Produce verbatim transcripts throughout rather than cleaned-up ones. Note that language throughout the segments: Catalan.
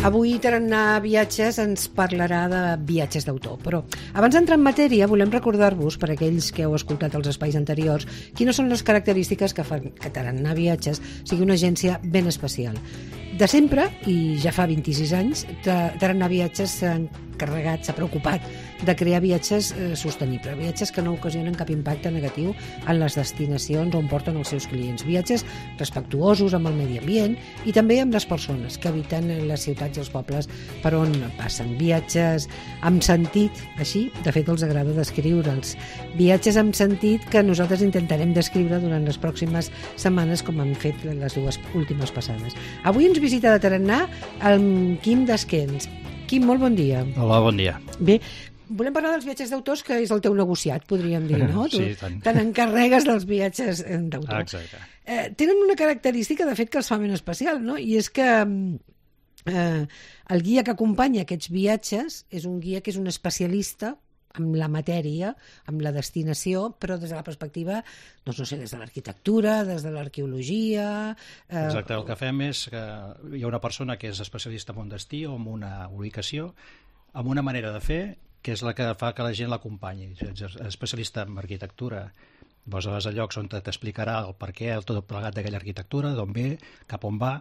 Avui Tarannà Viatges ens parlarà de viatges d'autor, però abans d'entrar en matèria volem recordar-vos, per aquells que heu escoltat els espais anteriors, quines són les característiques que fan que Tarannà Viatges sigui una agència ben especial. De sempre, i ja fa vint-i-sis anys, Tarannà Viatges s'ha encarregat, s'ha preocupat de crear viatges eh, sostenibles, viatges que no ocasionen cap impacte negatiu en les destinacions on porten els seus clients, viatges respectuosos amb el medi ambient i també amb les persones que habiten les ciutats i els pobles per on passen, viatges amb sentit, així de fet els agrada descriure'ls, viatges amb sentit que nosaltres intentarem descriure durant les pròximes setmanes com hem fet les dues últimes passades. Avui ens visita de Tarannà el Quim Desquens. Quim, molt bon dia. Hola, bon dia. Bé, volem parlar dels viatges d'autors, que és el teu negociat, podríem dir, no? Sí, tu tant. Te n'encarregues dels viatges d'autor. Exacte. Eh, tenen una característica, de fet, que els fa ben especial, no? I és que eh, el guia que acompanya aquests viatges és un guia que és un especialista amb la matèria, amb la destinació, però des de la perspectiva, doncs no sé, des de l'arquitectura, des de l'arqueologia... Eh... Exacte, el que fem és que hi ha una persona que és especialista en un destí o en una ubicació, amb una manera de fer que és la que fa que la gent l'acompanyi. És especialista en arquitectura, vas a llocs on t'explicarà el per què, el tot plegat d'aquella arquitectura, d'on ve, cap on va,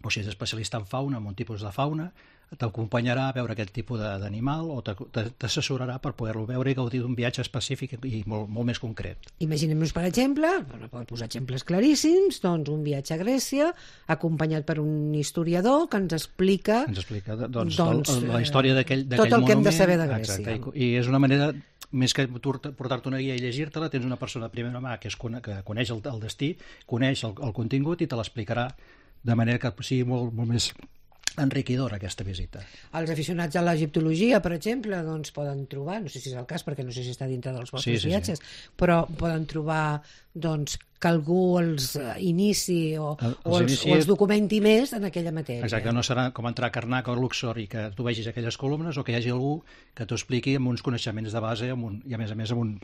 o si és especialista en fauna, en un tipus de fauna, t'acompanyarà a veure aquest tipus d'animal o t'assessorarà per poder-lo veure i gaudir d'un viatge específic i molt, molt més concret. Imaginem-nos, per exemple, per posar exemples claríssims, doncs un viatge a Grècia acompanyat per un historiador que ens explica, ens explica doncs, doncs, el, la història d'aquell monument. Tot el que hem de saber de Grècia. Exacte, i, i és una manera, més que portar-te una guia i llegir-te-la, tens una persona de primera mà que, és, que coneix el, el destí, coneix el, el contingut i te l'explicarà de manera que sigui molt, molt més enriquidora aquesta visita. Els aficionats a l'egiptologia, per exemple, doncs poden trobar, no sé si és el cas perquè no sé si està dintre dels vostres sí, sí, viatges, sí. però poden trobar doncs, que algú els inici o, el, els, o, els, inici... o els documenti més en aquella matèria. Exacte, no serà com entrar a Karnak o a Luxor i que tu vegis aquelles columnes o que hi hagi algú que t'ho expliqui amb uns coneixements de base amb un, i a més a més amb un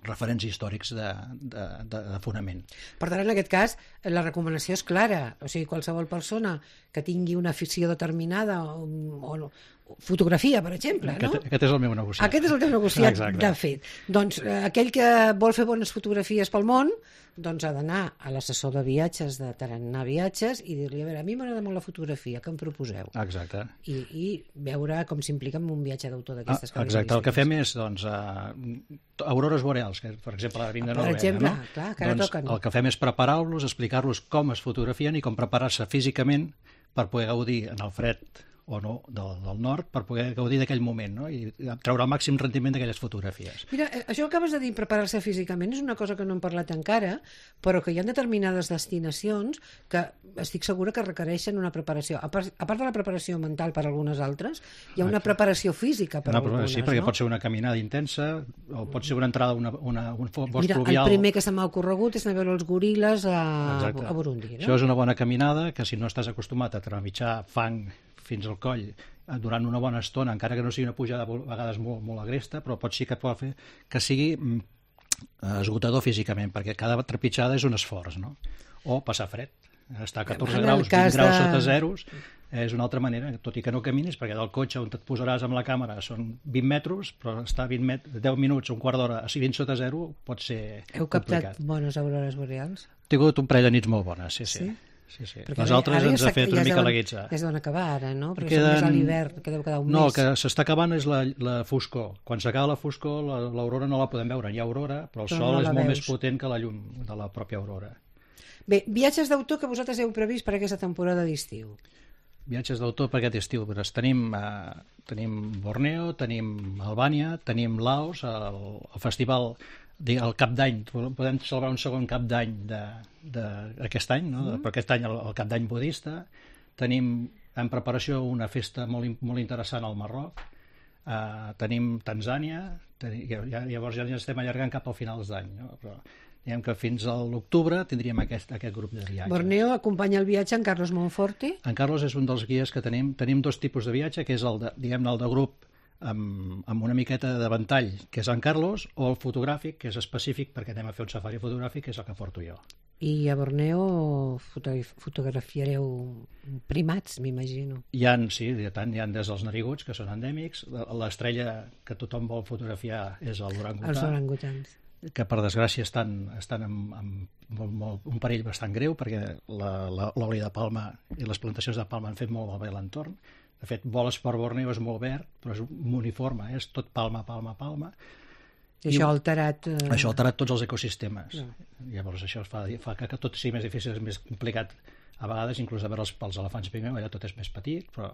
referents històrics de, de, de, de fonament. Per tant, en aquest cas, la recomanació és clara. O sigui, qualsevol persona que tingui una afició determinada o, o fotografia, per exemple, aquest, no? Aquest és el meu negociat. Aquest és el teu negociat, exacte. De fet. Doncs eh, aquell que vol fer bones fotografies pel món, doncs ha d'anar a l'assessor de viatges de Tarannà Viatges i dir-li, a veure, a mi m'agrada molt la fotografia, què em proposeu? Exacte. I, i veure com s'implica en un viatge d'autor d'aquestes ah, característiques. Exacte, el que fem és, doncs, uh, aurores boreals, que per exemple a la Vinga Noruega, per exemple, no? clar, que ara doncs, toquen. El que fem és preparar-los, explicar-los com es fotografien i com preparar-se físicament per poder gaudir en el fred o no, del, del nord, per poder gaudir d'aquell moment, no? I treure el màxim rendiment d'aquelles fotografies. Mira, això que acabes de dir, preparar-se físicament, és una cosa que no hem parlat encara, però que hi ha determinades destinacions que estic segura que requereixen una preparació. A part, a part de la preparació mental per algunes altres, hi ha una preparació física per una, algunes, sí, perquè no? pot ser una caminada intensa, o pot ser una entrada, una, una, un bosc Mira, pluvial. El primer que se m'ha ocorregut és anar a veure els goril·les a, Exacte. a Burundi. No? Això és una bona caminada, que si no estàs acostumat a trepitjar fang fins al coll durant una bona estona, encara que no sigui una pujada a vegades molt, molt agresta, però pot ser que pot fer que sigui esgotador físicament, perquè cada trepitjada és un esforç, no? O passar fred. Estar a catorze graus, vint graus de... sota zeros, és una altra manera, tot i que no caminis, perquè del cotxe on et posaràs amb la càmera són vint metres, però estar vint met... deu minuts, un quart d'hora, a vint sota zero pot ser Heu complicat. captat bones aurores boreals? He tingut un parell de nits molt bones, sí, sí. sí? Sí, sí. Les altres ens ha fet una mica la guitza. Ja es deuen acabar ara, no? Perquè Queden... són més a l'hivern, que deu quedar un no, mes. No, el que s'està acabant és la, la foscor. Quan s'acaba la foscor, l'aurora no la podem veure. Hi ha aurora, però el però sol no és molt veus. Més potent que la llum de la pròpia aurora. Bé, viatges d'autor que vosaltres heu previst per aquesta temporada d'estiu. Viatges d'autor per aquest estiu. Pues tenim, eh, tenim Borneo, tenim Albània, tenim Laos, el, el festival... el cap d'any, podem celebrar un segon cap d'any d'aquest any, no? Mm. Per aquest any el, el cap d'any budista. Tenim en preparació una festa molt, molt interessant al Marroc, uh, tenim Tanzània, tenim, ja, llavors ja ens estem allargant cap al finals d'any, no? Però diguem que fins a l'octubre tindríem aquest, aquest grup de viatges. Borneo acompanya el viatge en Carlos Monforte. En Carlos és un dels guies que tenim. Tenim dos tipus de viatge, que és el de, diguem-ne, el de grup amb, amb una miqueta de ventall, que és en Carlos, o el fotogràfic, que és específic perquè anem a fer un safari fotogràfic, que és el que porto jo. I a Borneo fotografiareu primats, m'imagino. Hi ha, sí, tant, hi ha des dels nariguts, que són endèmics. L'estrella que tothom vol fotografiar és l'orangutà. Els orangutans. Que per desgràcia estan, estan en, en molt, molt, un perill bastant greu, perquè l'oli de palma i les plantacions de palma han fet molt malbé l'entorn. De fet, voles per Borneo és molt verd, però és uniforme, eh? És tot palma, palma, palma. I això ha alterat... Eh... Això ha alterat tots els ecosistemes. No. Llavors això fa, fa que, que tot sigui més difícil, és més complicat a vegades, inclús de veure els, els elefants pigmeu, allà tot és més petit, però...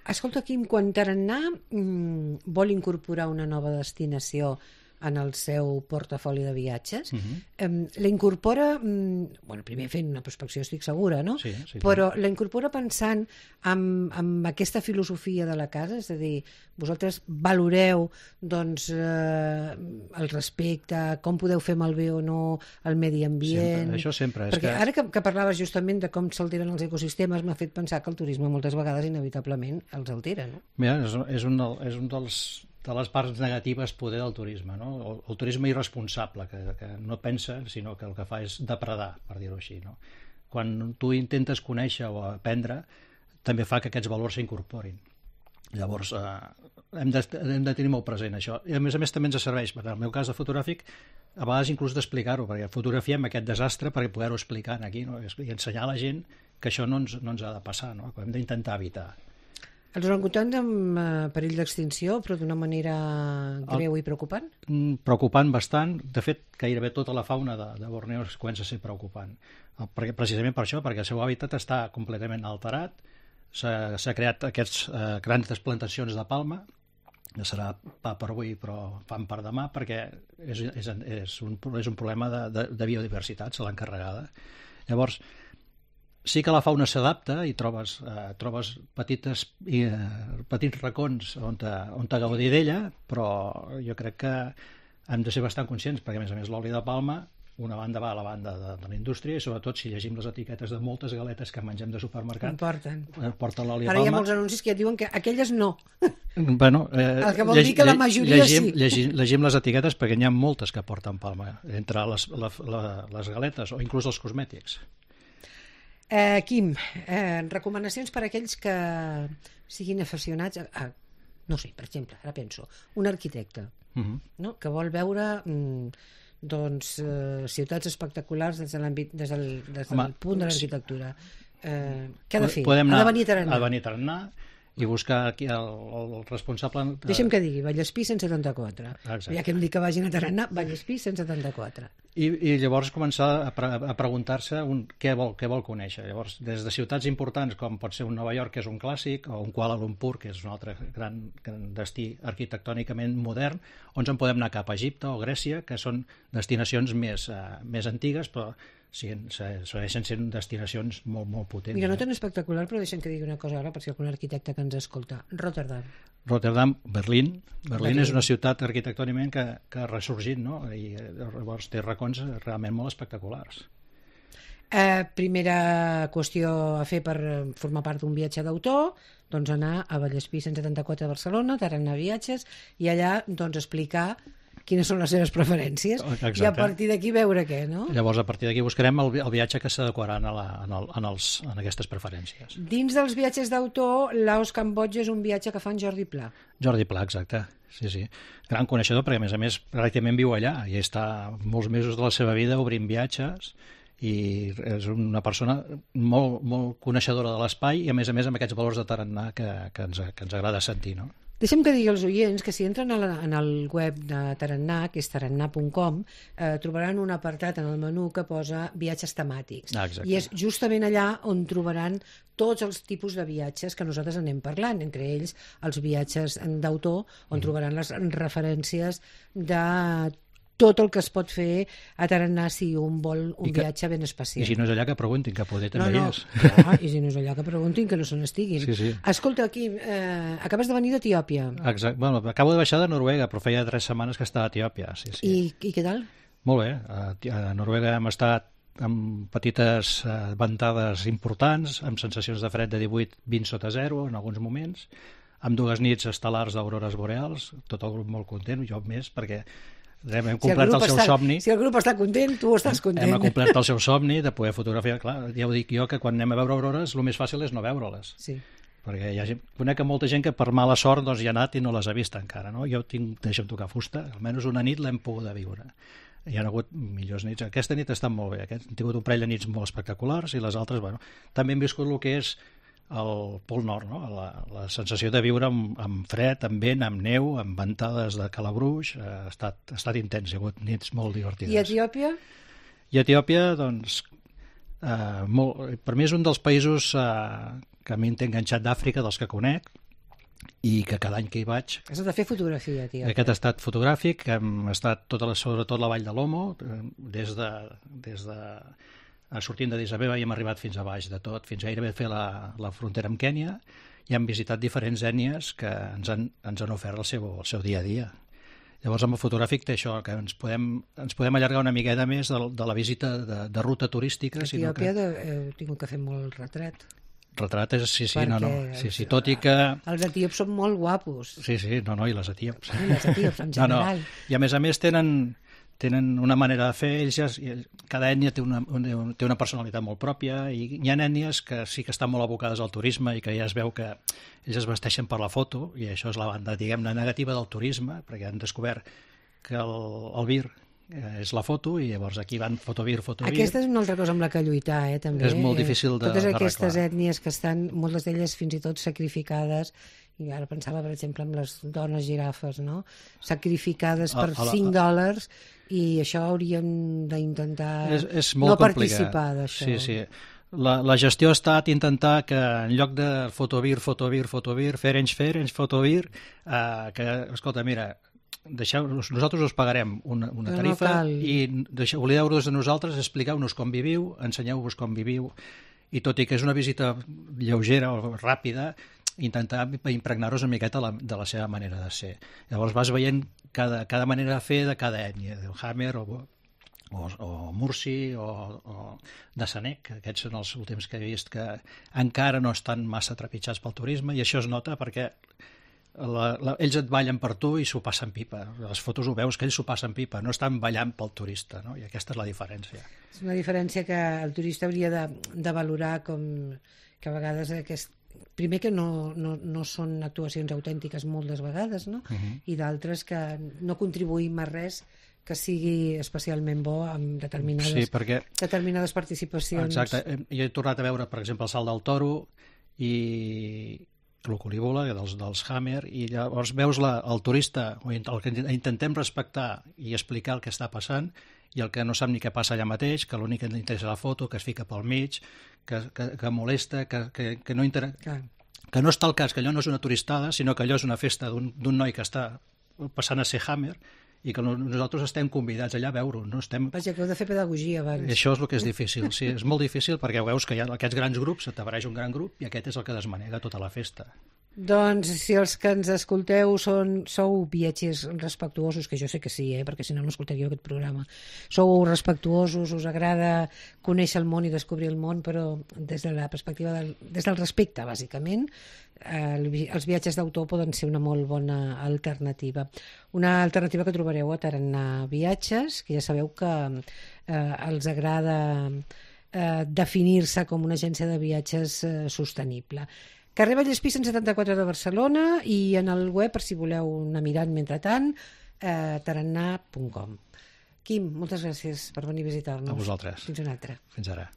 Escolta, Quim, quan Tarannà mmm, vol incorporar una nova destinació en el seu portafoli de viatges, uh-huh. eh, la incorpora, mm, bueno, primer fent una prospecció, estic segura, no? Sí, sí, però sí. La incorpora pensant en, en aquesta filosofia de la casa, és a dir, vosaltres valoreu doncs, eh, el respecte, com podeu fer malbé o no el medi ambient... Sempre, això sempre. És perquè que... ara que, que parlaves justament de com s'alteren els ecosistemes, m'ha fet pensar que el turisme moltes vegades inevitablement els altera, no? Mira, és, és, un, és un dels... de les parts negatives poder del turisme, no? El, el turisme irresponsable, que, que no pensa, sinó que el que fa és depredar, per dir-ho així, no? Quan tu intentes conèixer o aprendre, també fa que aquests valors s'incorporin. Llavors, eh, hem, de, hem de tenir molt present això. I a més a més també ens serveix, en el meu cas de fotogràfic, a vegades inclús d'explicar-ho, perquè fotografiem aquest desastre perquè poder-ho explicar aquí, no? I ensenyar a la gent que això no ens, no ens ha de passar, no? Que hem d'intentar evitar. Els orangutans amb eh, perill d'extinció, però d'una manera greu El... i preocupant? Preocupant bastant. De fet, gairebé tota la fauna de, de Borneo es comença a ser preocupant. Perquè, precisament per això, perquè el seu hàbitat està completament alterat. S'ha creat aquests eh, grans plantacions de palma, que serà pa per avui però fan per demà, perquè és, és, és, un, és un problema de, de, de biodiversitat, se l'ha encarregada. Llavors, sí que la fauna s'adapta i trobes, eh, trobes petites, eh, petits racons on te, on te gaudir d'ella, però jo crec que hem de ser bastant conscients, perquè a més a més l'oli de palma, una banda va a la banda de, de la indústria, i sobretot si llegim les etiquetes de moltes galetes que mengem de supermercat, porten. porten l'oli de palma. Ara hi ha molts anuncis que ja diuen que aquelles no. Bueno, eh, el que vol lleg, dir que la majoria llegim, sí. Llegim, llegim les etiquetes perquè n'hi ha moltes que porten palma, entre les, la, la, les galetes o inclús els cosmètics. Eh, Quim, eh, recomanacions per a aquells que siguin aficionats a, a, no sé, per exemple, ara penso, un arquitecte, uh-huh. no? Que vol veure mm, doncs, eh, ciutats espectaculars des de l'àmbit, des del, des del Home, punt de l'arquitectura. Eh, què ha de fer? Podem anar, ha de venir a Tarannà. Ha de venir a Tarannà i buscar aquí el, el responsable... De... Deixa'm que digui, Vallespí cent setanta-quatre. Exacte. Ja que em dic que vagin a Tarannà, Vallespí cent setanta-quatre. I, i llavors començar a, pre a preguntar-se un, què, vol, què vol conèixer. Llavors, des de ciutats importants com pot ser un Nova York, que és un clàssic, o un Kuala Lumpur, que és un altre gran, gran destí arquitectònicament modern, on en podem anar cap a Egipte o Grècia, que són destinacions més, uh, més antigues, però sí, segueixen sent destinacions molt, molt potents. Mira, no tan espectacular, però deixem que digui una cosa ara, per si algun arquitecte que ens escolta. Rotterdam. Rotterdam, Berlín. Berlín, Berlín. És una ciutat arquitectònicament que, que ha ressorgit, no? I llavors té racons realment molt espectaculars. Eh, primera qüestió a fer per formar part d'un viatge d'autor, doncs anar a Vallespí cent setanta-quatre de Barcelona, Tarannà Viatges, i allà doncs explicar quines són les seves preferències. Exacte. I a partir d'aquí veure què, no? Llavors, a partir d'aquí buscarem el, el viatge que s'adequarà en, la, en, el, en, els, en aquestes preferències. Dins dels viatges d'autor, Laos-Cambodja és un viatge que fa en Jordi Pla. Jordi Pla, exacte. Sí, sí. Gran coneixedor, perquè a més a més pràcticament viu allà i està molts mesos de la seva vida obrint viatges i és una persona molt, molt coneixedora de l'espai i a més a més amb aquests valors de Tarannà que, que, ens, que ens agrada sentir, no? Deixa'm que digui als oients que si entren a la, en el web de Tarannà, que és tarannà punt com, eh, trobaran un apartat en el menú que posa viatges temàtics. Ah, exacte. I és justament allà on trobaran tots els tipus de viatges que nosaltres anem parlant, entre ells els viatges d'autor, on mm. trobaran les referències de tot el que es pot fer a Tarannà si un vol un que, viatge ben especial. I si no és allà que preguntin, que poder també no, no, és. Clar, i si no és allà que preguntin, que no se n'estiguin. Sí, sí. Escolta, aquí, eh, acabes de venir d'Etiòpia. Exacte. Bueno, acabo de baixar de Noruega, però feia tres setmanes que estava a Etiòpia. Sí, sí. I, I què tal? Molt bé. A, a Noruega hem estat amb petites eh, ventades importants, amb sensacions de fred de divuit a vint sota zero en alguns moments, amb dues nits estel·lars d'aurores boreals, tot el grup molt content, jo més, perquè Hem, hem complert si el, el seu està, somni. Si el grup està content, tu estàs content. Hem complert el seu somni de poder fotografiar. Clar, ja ho dic jo, que quan anem a veure aurores el més fàcil és no veure-les. Sí. Perquè hi ha gent, conec molta gent que per mala sort doncs, hi ha anat i no les ha vist encara. No? Jo tinc, deixa'm tocar fusta, almenys una nit l'hem pogut viure. Hi ha hagut millors nits. Aquesta nit ha estat molt bé. Aquest, hem tingut un parell de nits molt espectaculars i les altres, bueno, també hem viscut el que és el Pol Nord, no? la, la sensació de viure amb, amb fred, amb vent, amb neu, amb ventades de calabruix, ha estat, ha estat intens, hi ha hagut nits molt divertides. I Etiòpia? I Etiòpia, doncs, eh, molt, per mi és un dels països eh, que a mi em té enganxat d'Àfrica, dels que conec, i que cada any que hi vaig... Has de fer fotografia, Etiòpia. Aquest ha estat fotogràfic, hem estat tota la, sobretot la vall de l'Omo, des de... Des de sortint de Addis Abeba i hem arribat fins a baix de tot, fins gairebé a fer la, la frontera amb Kènia, i hem visitat diferents ètnies que ens han, ens han ofert el seu, el seu dia a dia. Llavors, amb el fotogràfic té això, que ens podem, ens podem allargar una miqueta més de, de la visita de, de ruta turística. A Etiòpia que... heu tingut que fer molt retrat. Retrat és, sí, sí, Perquè no, no. Sí, sí, tot i que... Els etíops són molt guapos. Sí, sí, no, no, i les etíops. I les etíops, en general. No, no. I a més a més tenen... tenen una manera de fer, ells ja, cada ètnia té una, té una personalitat molt pròpia i hi ha ètnies que sí que estan molt abocades al turisme i que ja es veu que ells es vesteixen per la foto i això és la banda, diguem-ne, negativa del turisme, perquè han descobert que el, el vir és la foto i llavors aquí van fotovir, fotovir. Aquesta és una altra cosa amb la que lluitar, eh, també. És molt difícil de Totes aquestes d'arreglar. ètnies que estan, moltes d'elles fins i tot sacrificades, i ara pensava, per exemple, en les dones girafes, no? Sacrificades per a, a la, cinc dòlars, i això hauríem d'intentar no participar d'això. Sí, sí. La, la gestió ha estat intentar que en lloc de fotovir, fotovir, fotovir, fer-ens, fer-ens, fotovir, eh, que, escolta, mira, deixeu, nosaltres us pagarem una, una tarifa no i deixeu, oblideu-vos de nosaltres, expliqueu-nos com viviu, ensenyeu-vos com viviu, i tot i que és una visita lleugera o ràpida, intentar impregnar-nos una miqueta la, de la seva manera de ser. Llavors vas veient cada, cada manera de fer de cada ètnia, del Hammer o, o, o Mursi o, o de Sanek, que aquests són els últims que he vist que encara no estan massa trepitjats pel turisme i això es nota perquè la, la, ells et ballen per tu i s'ho passen pipa. Les fotos ho veus que ells s'ho passen pipa, no estan ballant pel turista, no? I aquesta és la diferència. És una diferència que el turista hauria de, de valorar com que a vegades aquest primer que no, no, no són actuacions autèntiques moltes vegades, no? Uh-huh. I d'altres que no contribuïm a res que sigui especialment bo amb determinades, sí, perquè... determinades participacions. Exacte. Jo he tornat a veure, per exemple, el Salt del Toro i l'Oculívola, dels, dels Hammer, i llavors veus la, el turista, o el que intentem respectar i explicar el que està passant, i el que no sap ni què passa allà mateix, que l'únic que li interessa la foto, que es fica pel mig, que, que, que molesta, que, que, que, no inter... que no està al cas que allò no és una turistada, sinó que allò és una festa d'un noi que està passant a ser Hammer i que nosaltres estem convidats allà a veure-ho. No estem... Vaja, que heu de fer pedagogia abans. I això és el que és difícil, sí, és molt difícil perquè veus que hi ha aquests grans grups, t'apareix un gran grup i aquest és el que desmanega tota la festa. Doncs si els que ens escolteu són, sou viatgers respectuosos, que jo sé que sí, eh, perquè si no no escoltaríeu aquest programa, sou respectuosos, us agrada conèixer el món i descobrir el món, però des de la perspectiva del, des del respecte, bàsicament, eh, els viatges d'autor poden ser una molt bona alternativa. Una alternativa que trobareu a Tarannà Viatges, que ja sabeu que eh, els agrada eh, definir-se com una agència de viatges eh, sostenible. Carrer Vallespí cent setanta-quatre de Barcelona i en el web, per si voleu anar mirant mentrestant, eh, tarannà punt com. Quim, moltes gràcies per venir a visitar-nos. A vosaltres. Fins una altra. Fins ara.